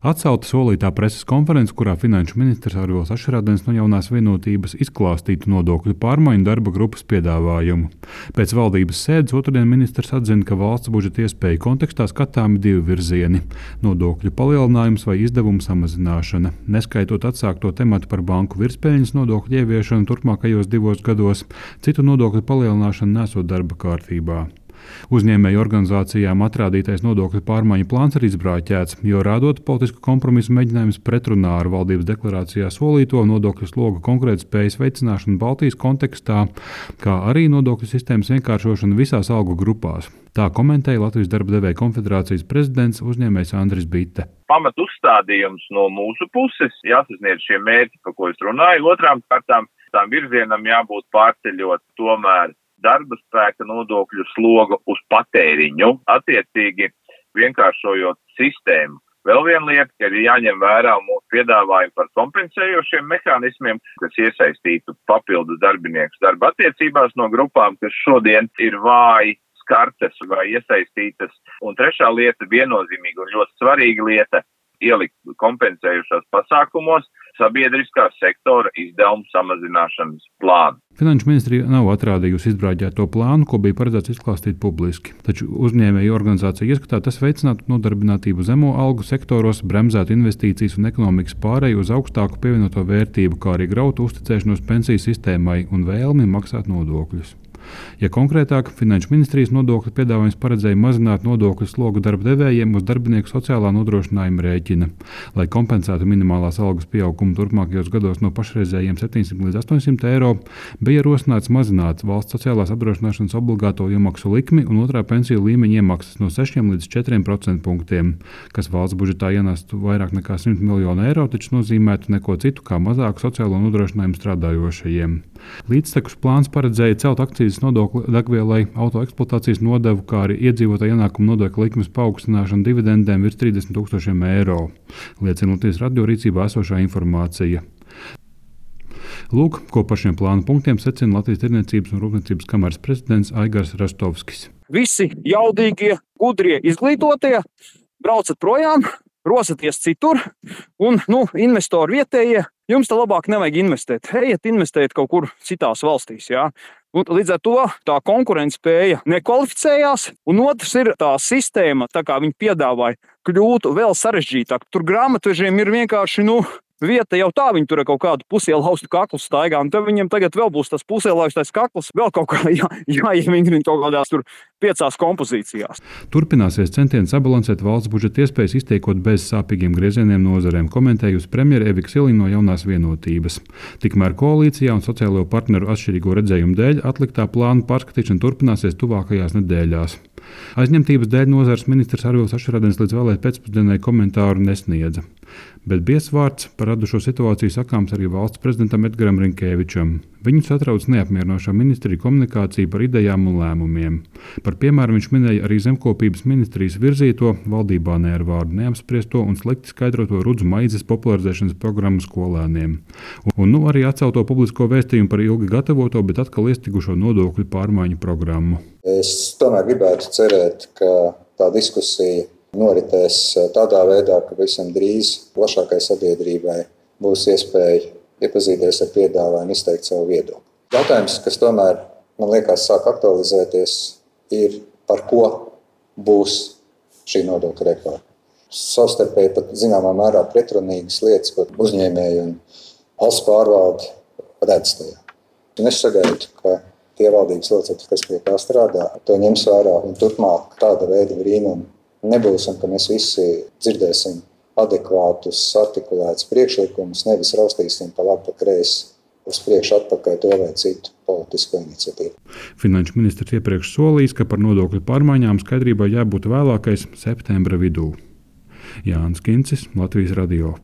Atcelta solītā preses konference, kurā finanšu ministrs Arvils Ašerādens no Jaunās vienotības izklāstītu nodokļu pārmaiņu darba grupas piedāvājumu. Pēc valdības sēdes otrdien ministrs atzina, ka valsts budžeta iespēju kontekstā skatāmi divi virzieni - nodokļu palielinājums vai izdevumu samazināšana, neskaitot atsākto tematu par banku virspeļņas nodokļu ieviešanu turpmākajos 2 gados, citu nodokļu palielināšanu nesot darba kārtībā. Uzņēmēju organizācijām atrādītais nodokļu pārmaiņu plāns ir izbrāķēts, jo rādot politisku kompromisu mēģinājums pretrunā ar valdības deklarācijā solīto nodokļu sloga konkurētspējas veicināšanu Baltijas kontekstā, kā arī nodokļu sistēmas vienkāršošanu visās algu grupās. Tā komentēja Latvijas darba devēju konfederācijas prezidents uzņēmējs Andris Bite. Pamat uzstādījums no mūsu puses jāsasniedz šie mērķi, par ko es runāju. Otrām kārtām tām virzienam jābūt pārceļot tomēr darba spēka nodokļu slogu uz patēriņu, attiecīgi vienkāršojot sistēmu. Vēl viena lieta, ka ir jāņem vērā mūsu piedāvājumi par kompensējošiem mehānismiem, kas iesaistītu papildus darbiniekus darba attiecībās no grupām, kas šodien ir vāji skartas vai iesaistītas. Un trešā lieta, viennozīmīga un ļoti svarīga lieta, ielikt kompensējušos pasākumos sabiedriskā sektora izdevumu samazināšanas plānu. Finanšu ministrija nav atrādījusi izbrāķēto plānu, ko bija paredzēts izklāstīt publiski. Taču uzņēmēju organizācija ieskatā tas veicinātu nodarbinātību zemo algu sektoros, bremzētu investīcijas un ekonomikas pāreju uz augstāku pievienoto vērtību, kā arī grautu uzticēšanos pensiju sistēmai un vēlmi maksāt nodokļus. Ja konkrētāk, Finanšu ministrijas nodokļu piedāvājums paredzēja mazināt nodokļu slogu darba devējiem uz darbinieku sociālā nodrošinājuma rēķina. Lai kompensētu minimālās algas pieaugumu turpmākajos gados no pašreizējiem 700 līdz 800 eiro, bija rosināts mazināt valsts sociālās apdrošināšanas obligāto iemaksu likmi un otrā pensiju līmeņa iemaksas no 6 līdz 4% punktiem, kas valsts budžetā ienestu vairāk nekā 100 miljonu eiro, taču nozīmētu neko citu kā mazāku sociālo nodrošinājumu strādājošajiem. Līdztekus plāns paredzēja celt akcijas nodokli degvielai, auto eksploatācijas nodevu, kā arī iedzīvotāju ienākumu nodokļa likmes paaugstināšanu dividendēm virs 30 000 eiro, liecina Latvijas radio rīcībā esošā informācija. Lūk, ko par šiem plānu punktiem secina Latvijas Tirdzniecības un Rūpniecības kameras prezidents Aigars Rastovskis. Visi jaudīgie, gudrie, izglītotie braucat projām, rosaties citur, un investori vietējie, jums te labāk nevajag investēt. Ejiet, investēt kaut kur citās valstīs. Jā. Un līdz ar to tā konkurētspēja nekvalificējās, un otrs ir tā sistēma, tā kā viņi piedāvāja, kļūtu vēl sarežģītāk. Tur grāmatvežiem ir vienkārši, vieta jau tā, viņi tur ar kaut kādu pusielaustu kaklu staigā, un tad viņiem tagad vēl būs tas pusielaustais kakls, vēl kaut kā jāievingrina kaut kādās tur 5 kompozīcijās. Turpināsies centieni sabalansēt valsts budžeta iespējas, iztiekot bez sāpīgiem griezieniem nozarēm, komentējusi premjere Evika Siliņa no Jaunās vienotības. Tikmēr koalīcijā un sociālo partneru atšķirīgo redzējumu dēļ atliktā plāna pārskatīšana turpināsies tuvākajās nedēļās. Aizņemtības dēļ nozares ministrs Arvils Ašerādens līdz vēlēt pēcpusdienai komentāru nesniedza. Bet biezvārds par radušo situāciju sakāms arī valsts prezidentam Edgaram Rinkēvičam. Viņu satrauc neapmierinošā ministrija komunikācija par idejām un lēmumiem. Par piemēru viņš minēja arī zemkopības ministrijas virzīto, valdībā ne ar vārdu neapspriesto un slikti skaidroto rudzu maizes popularizēšanas programmu skolēniem. Un arī atcelto publisko vēstījumu par ilgi gatavoto, bet atkal iestigušo nodokļu pārmaiņu programmu. Es tomēr gribētu cerēt, ka tā diskusija noritēs tādā veidā, ka visam drīz plašākai sabiedrībai būs iespēja iepazīties ar piedāvājumu, izteikt savu viedokli. Jautājums, kas tomēr, man liekas, sāk aktualizēties, ir par ko būs šī nodokļa reforma. Savstarpēji pat zināmā mērā pretrunīgas lietas, ko uzņēmēji un valsts pārvalde redz tajā. Un es sagaidu, ka tie valdības locekļi, kas pie tā strādā, to ņems vērā un turpmāk tāda veida brīnumi nebūs, un ka mēs visi dzirdēsim adekvātus, artikulētus priekšlikumus, nevis raustīsim pa labi, pa kreisi, uz priekšu atpakaļ to vai citu politisko iniciatīvu. Finanšu ministrs iepriekš solījis, ka par nodokļu pārmaiņām skaidrībai jābūt vēlākais septembra vidū. Jānis Kincis, Latvijas radio.